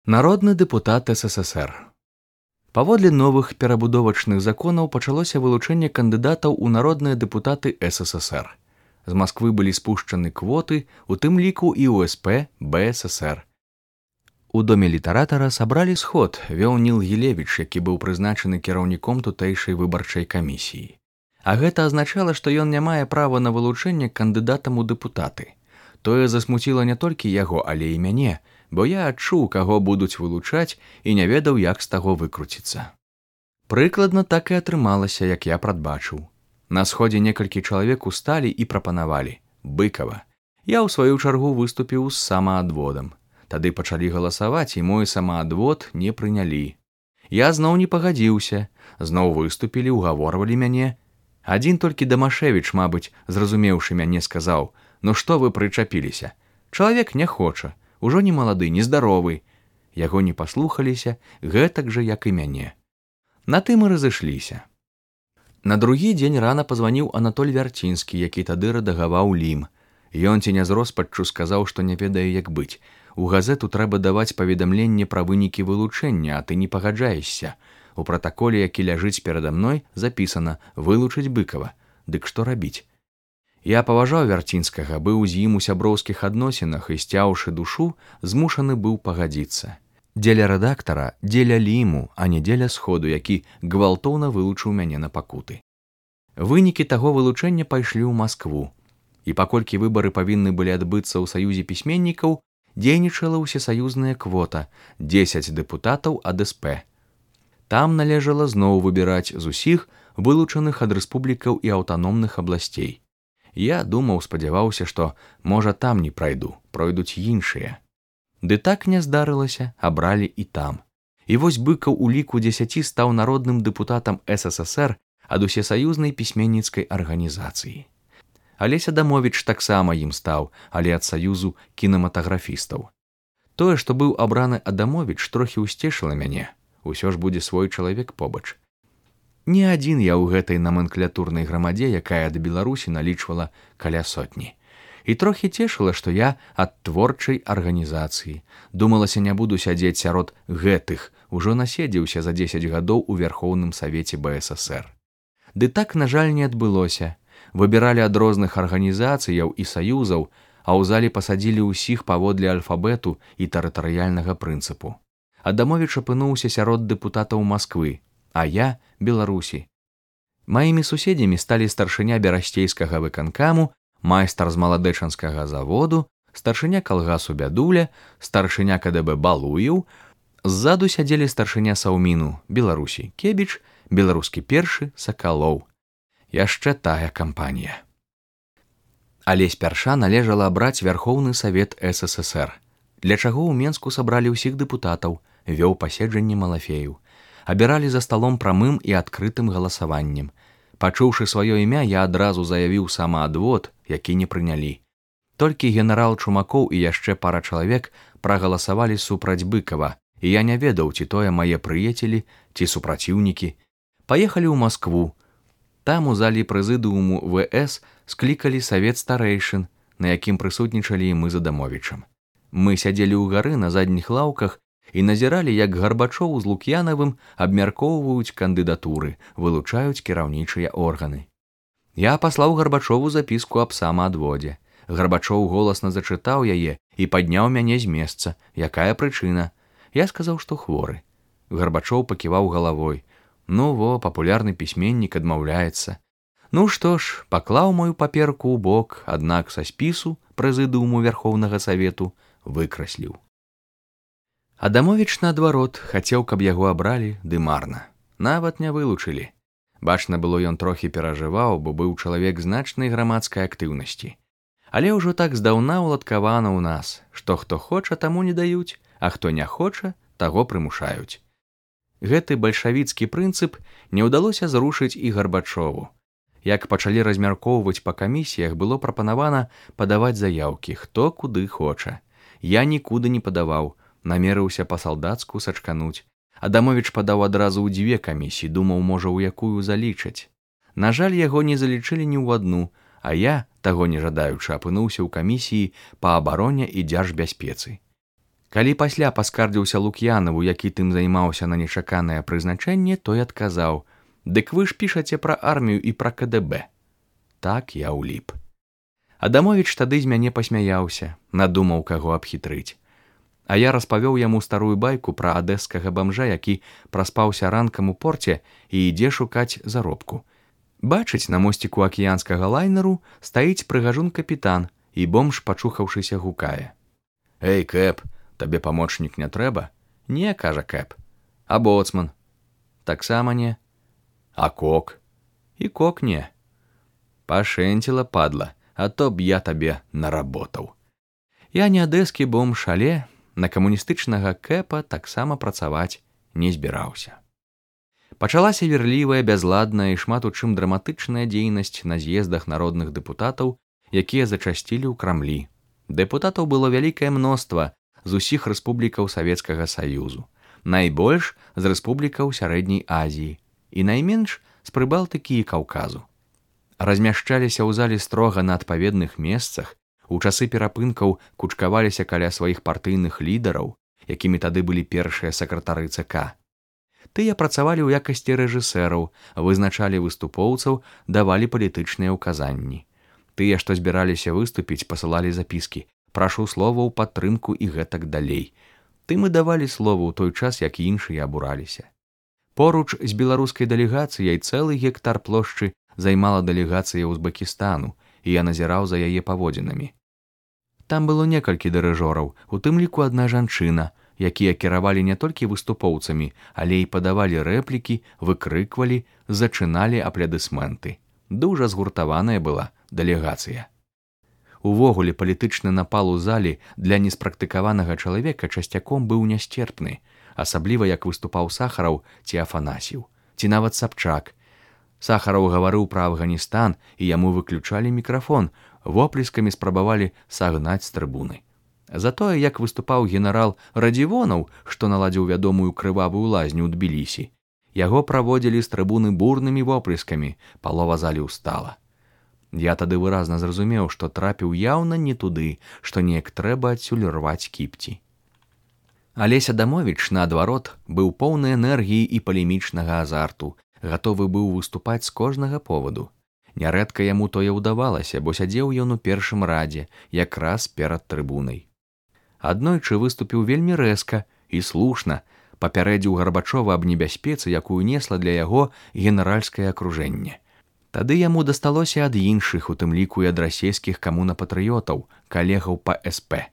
Народны дэпутат СССР. Паводле новых перабудовачных законаў пачалося вылучэнне кандыдатаў у народныя дэпутаты СССР. З Масквы былі спушчаны квоты, у тым ліку і УСП БССР. У доме літаратара сабралі сход, вёў Ніл Гілевіч, які быў прызначаны кіраўніком тутэйшай выбарчай камісіі. А гэта азначала, што ён не мае права на вылучэнне кандыдатам у дэпутаты. Тое засмуціла не толькі яго, але і мяне, бо я адчуў, каго будуць вылучаць і не ведаў, як з таго выкруціцца. Прыкладна так і атрымалася, як я прадбачыў. На сходзе некалькі чалавек усталі і прапанавалі: Быкава. Я ў сваю чаргу выступіў з самаадводам. Тады пачалі галасаваць, і мой самаадвод не прынялі. Я зноў не пагадзіўся, зноў выступілі, угаворвалі мяне. Адзін толькі Дамашевіч, мабыць, зразумеўшы мяне, сказаў: «Ну што вы прычапіліся? Чалавек не хоча, ужо не малады, нездаровы». Яго не паслухаліся, гэтак жа, як і мяне. На тым і разышліся. На другі дзень рана пазваніў Анатоль Вярцінскі, які тады рэдагаваў Лім. Ён ці не з роспаччу сказаў, што не ведае, як быць. У газету трэба даваць паведамленне пра вынікі вылучэння, а ты не пагаджаешся. У пратаколе, які ляжыць перада мной, запісана «вылучыць Быкава». Дык што рабіць? Я паважаў Вярцінскага, быў з ім у сяброўскіх адносінах і, сцяўшы душу, змушаны быў пагадзіцца. Дзеля рэдактара, дзеля Ліму, а не дзеля сходу, які гвалтоўна вылучыў мяне на пакуты. Вынікі таго вылучэння пайшлі ў Маскву. І паколькі выбары павінны былі адбыцца ў саюзе пісьменнікаў, дзейнічала ўсесаюзная квота 10 дэпутатаў ад СП. Там належала зноў выбіраць з усіх вылучаных ад рэспублікаў і аўтаномных абласцей. Я думаў, спадзяваўся, што, можа, там не прайду, пройдуць іншыя. Ды так не здарылася, абралі і там. І вось Быкаў у ліку 10 стаў народным дэпутатам СССР ад усесаюзнай пісьменніцкай арганізацыі. Алесь Адамовіч таксама ім стаў, але ад саюзу кінематаграфістаў. Тое, што быў абраны Адамовіч, трохі ўсцешыла мяне. Усё ж будзе свой чалавек побач. Не адзін я ў гэтай наменклятурнай грамадзе, якая да Беларусі налічвала каля сотні. І трохі цешыла, што я ад творчай арганізацыі. Думалася, не буду сядзець сярод гэтых, ужо наседзеўся за 10 гадоў у Верхоўным Савеце БССР. Ды так, на жаль, не адбылося. Выбіралі ад розных арганізацыяў і саюзаў, а ў залі пасадзілі ўсіх паводле альфабету і тэрытарыяльнага прынцыпу. Адамовіч апынуўся сярод дэпутатаў Масквы, а я – Беларусі. Маімі суседзямі сталі старшыня берасцейскага выканкаму, майстар з маладэчанскага заводу, старшыня калгасу Бядуля, старшыня КДБ Балуеў, ззаду сядзелі старшыня Саўміну Беларусі Кебіч, беларускі першы Сакалоў. Яшчэ тая кампанія. Алесь Пярша належала абраць Верхоўны Савет СССР. Для чаго ў Менску сабралі ўсіх дэпутатаў, вёў паседжанне Малафею. Абіралі за сталом прамым і адкрытым галасаваннем. Пачуўшы сваё імя, я адразу заявіў самаадвод, які не прынялі. Толькі генерал Чумакоў і яшчэ пара чалавек прагаласавалі супраць Быкава, і я не ведаў, ці тое мае прыяцелі, ці супраціўнікі. Паехалі ў Маскву. Там у залі прэзідыуму ВС склікалі савет старэйшын, на якім прысутнічалі і мы з Адамовічам. Мы сядзелі ўгары на задніх лаўках і назіралі, як Гарбачоў з Лук'янавым абмяркоўваюць кандыдатуры, вылучаюць кіраўнічыя органы. Я паслаў Гарбачову запіску аб самаадводзе. Гарбачоў голасна зачытаў яе і падняў мяне з месца. Якая прычына? Я сказаў, што хворы. Гарбачоў паківаў галавой. Ну во, папулярны пісьменнік адмаўляецца. Ну што ж, паклаў мою паперку ў бок, аднак са спісу прэзідыуму Верхоўнага Савету выкрасліў. Адамовіч, наадварот, хацеў, каб яго абралі, ды марна. Нават не вылучылі. Бачна было, ён трохі перажываў, бо быў чалавек значнай грамадскай актыўнасці. Але ўжо так здаўна ўладкавана ў нас, што хто хоча, таму не даюць, а хто не хоча, таго прымушаюць. Гэты бальшавіцкі прынцып не ўдалося зрушыць і Гарбачову. Як пачалі размяркоўваць па камісіях, было прапанавана падаваць заяўкі, хто куды хоча. Я нікуды не падаваў, намерыўся па-салдацку сачкануць. Адамовіч падаў адразу ў 2 камісіі, думаў, можа, у якую залічаць. На жаль, яго не залічылі ні ў адну, а я, таго не жадаючы, апынуўся ў камісіі па абароне і дзяржбяспецы. Калі пасля паскардзіўся Лук'янаву, які тым займаўся на нечаканае прызначэнне, той адказаў: «Дык вы ж пішаце пра армію і пра КДБ». Так я ўліп. Адамовіч тады з мяне пасмяяўся, надумаў каго абхітрыць. А я распавёў яму старую байку пра адэскага бамжа, які праспаўся ранкам у порце і ідзе шукаць заробку. Бачыць, на мосціку акіянскага лайнеру стаіць прыгажун-капітан, і бомж, пачухаўшыся, гукае: «Эй, Кэп, табе памочнік не трэба?» «Не», кажа Кэп. «А боцман?» «Таксама не». «А кок?» «І кок не». «Пашэнціла, падла, а то б я табе наработаў». Я не адэскі бомж, але на камуністычнага Кэпа таксама працаваць не збіраўся. Пачалася верлівая, бязладная і шмат у чым драматычная дзейнасць на з'ездах народных дэпутатаў, якія зачасцілі ў Крамлі. Дэпутатаў было вялікае мноства з усіх рэспублікаў Савецкага Саюзу, найбольш з рэспублікаў Сярэдняй Азіі і найменш з Прыбалтыкі і Каўказу. Размяшчаліся ў зале строга на адпаведных месцах, у часы перапынкаў кучкаваліся каля сваіх партыйных лідараў, якімі тады былі першыя сакратары ЦК. Тыя працавалі ў якасці рэжысэраў, вызначалі выступоўцаў, давалі палітычныя ўказанні. Тыя, што збіраліся выступіць, пасылалі запіскі: «Прашу слова ў падтрымку» і гэтак далей. Тым і давалі слова ў той час, як іншыя абураліся. Поруч з беларускай дэлегацыяй цэлы гектар плошчы займала дэлегацыя Узбекістану, і я назіраў за яе паводзінамі. Там было некалькі дырыжораў, у тым ліку адна жанчына, якія кіравалі не толькі выступоўцамі, але і падавалі рэплікі, выкрыквалі, зачыналі аплодысменты. Дужа згуртаваная была дэлегацыя. Увогуле, палітычны напал у залі для неспрактыкаванага чалавека часцяком быў нясцерпны, асабліва як выступаў Сахараў ці Афанасьеў, ці нават Сабчак. Сахараў гаварыў пра Афганістан, і яму выключалі мікрафон, воплескамі спрабавалі сагнаць з трыбуны. Затое, як выступаў генерал Радзівонаў, што наладзіў вядомую крывавую лазню ў Тбілісі, яго праводзілі з трыбуны бурнымі воплескамі, палова залі ўстала. Я тады выразна зразумеў, што трапіў яўна не туды, што неяк трэба адсюль рваць кіпці. Алесь Адамовіч, наадварот, быў поўны энергіі і палемічнага азарту, гатовы быў выступаць з кожнага поваду. Нярэдка яму тое ўдавалася, бо сядзеў ён у першым радзе, якраз перад трыбунай. Аднойчы выступіў вельмі рэзка і слушна, папярэдзіў Гарбачова аб небяспецы, якую несла для яго генеральскае акружэнне. Тады яму дасталося ад іншых, у тым ліку і ад расейскіх камунапатрыётаў, калегаў па СП.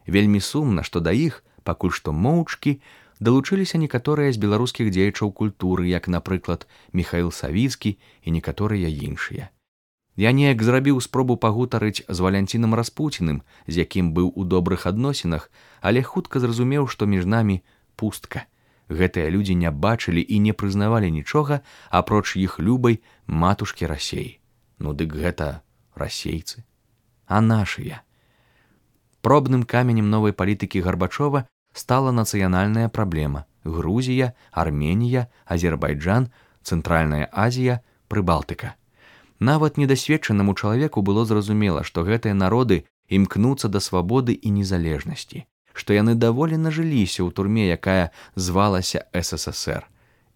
Вельмі сумна, што да іх, пакуль што моўчкі, далучыліся некаторыя з беларускіх дзеячаў культуры, як, напрыклад, Міхаіл Савіцкі і некаторыя іншыя. Я неяк зрабіў спробу пагутарыць з Валянцінам Распуціным, з якім быў у добрых адносінах, але хутка зразумеў, што між намі пустка. Гэтыя людзі не бачылі і не прызнавалі нічога, апроч іх любай матушкі Расеі. Ну дык гэта расейцы. А нашыя? Пробным каменем новай палітыкі Гарбачова стала нацыянальная праблема – Грузія, Арменія, Азербайджан, Цэнтральная Азія, Прыбалтыка. Нават недасведчанаму чалавеку было зразумела, што гэтыя народы імкнуцца да свабоды і незалежнасці, што яны даволі нажыліся ў турме, якая звалася СССР.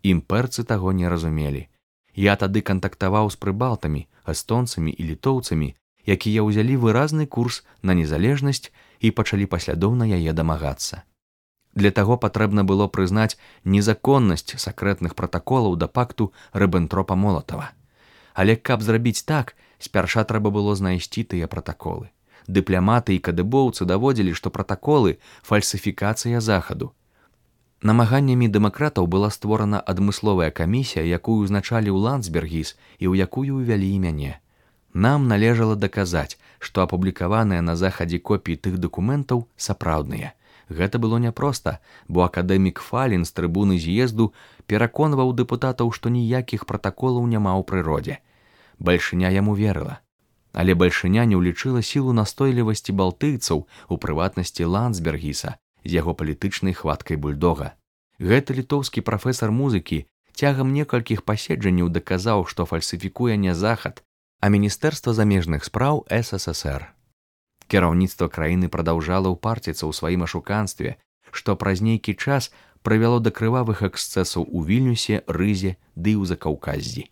Імперцы таго не разумелі. Я тады кантактаваў з прыбалтамі, эстонцамі і літоўцамі, якія ўзялі выразны курс на незалежнасць і пачалі паслядоўна яе дамагацца. Для таго патрэбна было прызнаць незаконнасць сакрэтных пратаколаў да пакту Рыббентропа-Молатава. Але каб зрабіць так, спярша трэба было знайсці тыя пратаколы. Дыпламаты і кадыбоўцы даводзілі, што пратаколы – фальсіфікацыя захаду. Намаганнямі дэмакратаў была створана адмысловая камісія, якую ўзначаліў Ландсбергіс і ў якую ўвялі і мяне. Нам належала даказаць, што апублікаваныя на захадзе копіі тых дакументаў сапраўдныя. Гэта было няпроста, бо акадэмік Фалін з трыбуны з'езду пераконваў дэпутатаў, што ніякіх пратаколаў няма ў прыродзе. Бальшыня яму верыла. Але бальшыня не ўлічыла сілу настойлівасці балтыйцаў, у прыватнасці Ландсбергіса, з яго палітычнай хваткай бульдога. Гэты літоўскі прафесар музыкі цягам некалькіх паседжанняў даказаў, што фальсіфікуе не захад, а Міністэрства замежных спраў СССР. Кіраўніцтва краіны прадаўжала ўпарціцца ў сваім ашуканстве, што праз нейкі час прывяло да крывавых эксцэсаў у Вільнюсе, Рызе ды ў Закаўказзі.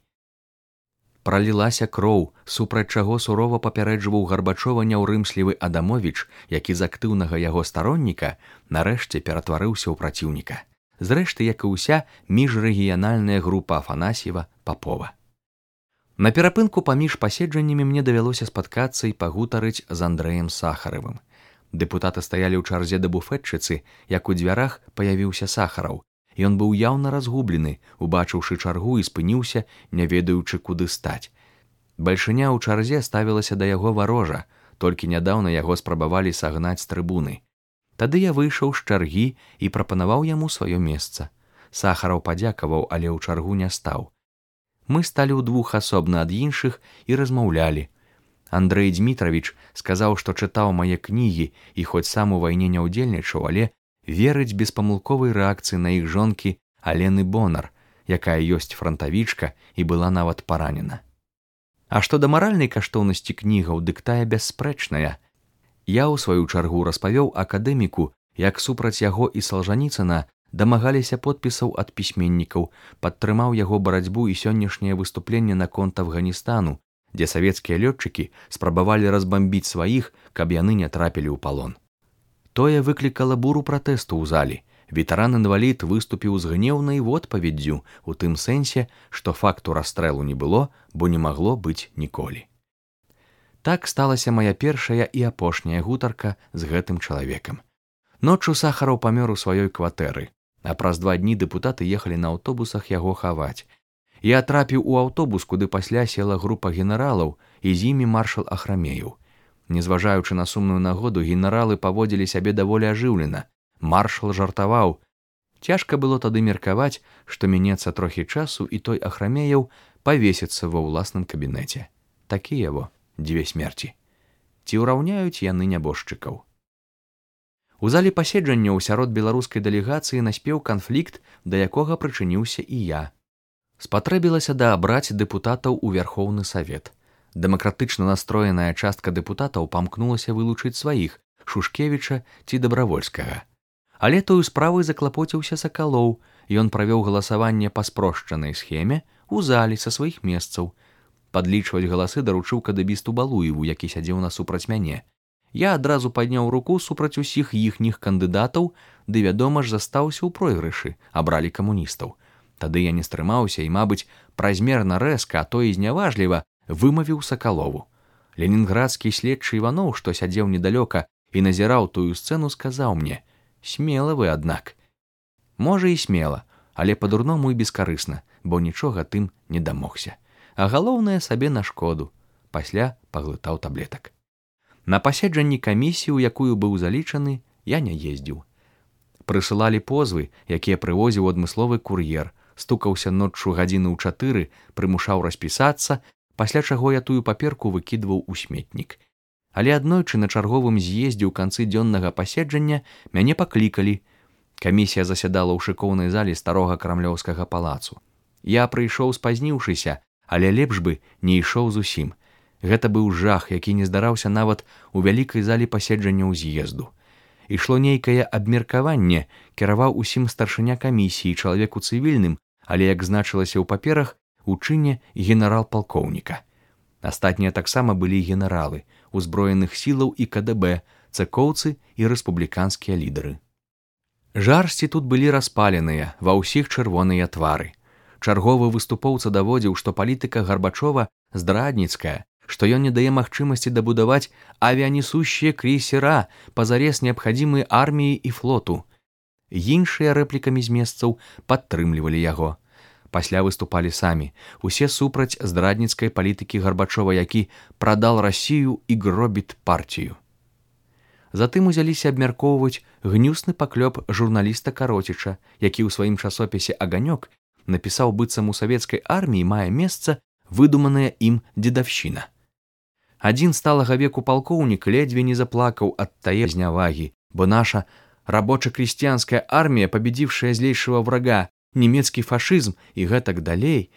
Пралілася кроў, супраць чаго сурова папярэджваў Гарбачова няўрымслівы Адамовіч, які з актыўнага яго старонніка нарэшце ператварыўся ў праціўніка. Зрэшты, як і ўся міжрэгіянальная група Афанасьева, Папова. На перапынку паміж паседжаннямі мне давялося спаткацца і пагутарыць з Андрэем Сахаравым. Дэпутаты стаялі ў чарзе да буфетчыцы, як у дзвярах паявіўся Сахараў. Ён быў яўна разгублены, убачыўшы чаргу і спыніўся, не ведаючы, куды стаць. Бальшыня ў чарзе ставілася да яго варожа, толькі нядаўна яго спрабавалі сагнаць з трыбуны. Тады я выйшаў з чаргі і прапанаваў яму сваё месца. Сахараў падзякаваў, але ў чаргу не стаў. Мы сталі ўдвух асобна ад іншых і размаўлялі. Андрэй Дзмітравіч сказаў, што чытаў мае кнігі і хоць сам у вайне не ўдзельнічаў, але верыць беспамылковай рэакцыі на іх жонкі Алены Бонар, якая ёсць франтавічка і была нават паранена. А што да маральнай каштоўнасці кнігаў, дык тая бясспрэчная. Я ў сваю чаргу распавёў акадэміку, як супраць яго і Салжаніцына дамагаліся подпісаў ад пісьменнікаў, падтрымаў яго барацьбу і сённяшняе выступленне наконт Афганістану, дзе савецкія лётчыкі спрабавалі разбамбіць сваіх, каб яны не трапілі ў палон. Тое выклікала буру пратэсту ў залі. Ветэран-інвалід выступіў з гнеўнай водпаведдзю у тым сэнсе, што факту расстрэлу не было, бо не магло быць ніколі. Так сталася мая першая і апошняя гутарка з гэтым чалавекам. Ноччу Сахараў памёр у сваёй кватэры, а праз 2 дні дэпутаты ехалі на аўтобусах яго хаваць. Я трапіў у аўтобус, куды пасля села група генералаў, і з імі маршал Ахрамеяў. Незважаючы на сумную нагоду, генералы паводзілі сябе даволі ажыўлена. Маршал жартаваў. Цяжка было тады меркаваць, што мінецца трохі часу, і той Ахрамеяў павесіцца ва ўласным кабінеце. Такія во 2 смерці. Ці ўраўняюць яны нябожчыкаў? У зале паседжанняў сярод беларускай дэлегацыі наспеў канфлікт, да якога прычыніўся і я. Спатрэбілася даабраць дэпутатаў у Вярхоўны Савет. Дэмакратычна настроеная частка дэпутатаў памкнулася вылучыць сваіх, Шушкевіча ці Дабравольскага. Але тою справай заклапоціўся Сакалоў, ён правёў галасаванне па спрошчанай схеме ў залі са сваіх месцаў. Падлічваць галасы даручыў кадэбісту Балуеву, які сядзеў насупраць мяне. Я адразу падняў руку супраць усіх іхніх кандыдатаў, ды, вядома ж, застаўся ў пройгрышы, абралі камуністаў. Тады я не стрымаўся і, мабыць, празмерна рэзка, а то і зняважліва вымавіў Сакалову. Ленінградскі следчы Іваноў, што сядзеў недалёка і назіраў тую сцэну, сказаў мне: «Смела вы, аднак». Можа, і смела, але па-дурному і бескарысна, бо нічога тым не дамогся. А галоўнае, сабе на шкоду. Пасля паглытаў таблетак. На паседжанні камісіі, у якую быў залічаны, я не ездзіў. Прысылалі позвы, якія прывозіў адмысловы кур'ер, стукаўся ноччу гадзіны ў 4, прымушаў распісацца, пасля чаго я тую паперку выкідваў у сметнік. Але аднойчы на чарговым з'ездзе ў канцы дзённага паседжання мяне паклікалі. Камісія засядала ў шыкоўнай залі старога крамлёўскага палацу. Я прыйшоў спазніўшыся, але лепш бы не ішоў зусім. Гэта быў жах, які не здараўся нават у вялікай залі паседжанняў з'езду. Ішло нейкае абмеркаванне, кіраваў усім старшыня камісіі, чалавек у цывільным, але, як значылася ў паперах, у чыне генерал-палкоўніка. Астатнія таксама былі генералы, узброеных сілаў і КДБ, цэкоўцы і рэспубліканскія лідары. Жарсці тут былі распаленыя, ва ўсіх чырвоныя твары. Чарговы выступоўца даводзіў, што палітыка Гарбачова здрадніцкая, што ён не дае магчымасці дабудаваць авіянесущие крейсера, пазарез неабхадзімыя арміі і флоту. Іншыя рэплікамі з месцаў падтрымлівалі яго. Пасля выступалі самі, усе супраць здрадніцкай палітыкі Гарбачова, які прадал Расію і гробіт партію. Затым узяліся абмяркоўваць гнюсны паклёп журналіста Кароціча, які ў сваім часопісе «Аганёк» напісаў, быццам у савецкай арміі мае месца выдуманая ім дзедаўшчына. Адзін сталага веку палкоўнік ледзьве не заплакаў ад тае знявагі, бо наша рабоча-крестьянская армія, победившая злейшего врага, немецкі фашызм і гэтак далей.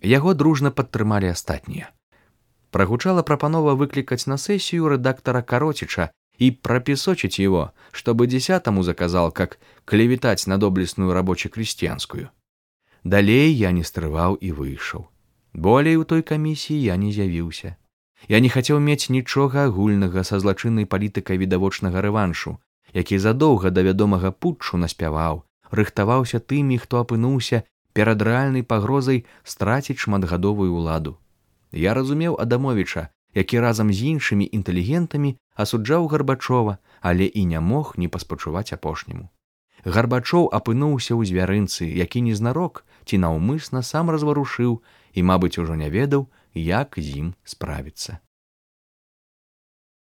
Яго дружна падтрымалі астатнія. Прагучала прапанова выклікаць на сесію рэдактара Кароціча и пропесочить его, чтобы 10-му заказал, как клеветать на доблестную рабоче-крестьянскую. Далей я не стрываў і выйшаў. Болей у той камісіі я не з'явіўся. Я не хацеў мець нічога агульнага са злачыннай палітыкай відавочнага рэваншу, які задоўга да вядомага путчу наспяваў, рыхтаваўся тымі, хто апынуўся перад рэальнай пагрозай страціць шматгадовую ўладу. Я разумеў Адамовіча, які разам з іншымі інтэлігентамі асуджаў Гарбачова, але і не мог не паспачуваць апошняму. Гарбачоў апынуўся ў звярынцы, які незнарок ці наўмысна сам разварушыў і, мабыць, ужо не ведаў, як з ім справіцца.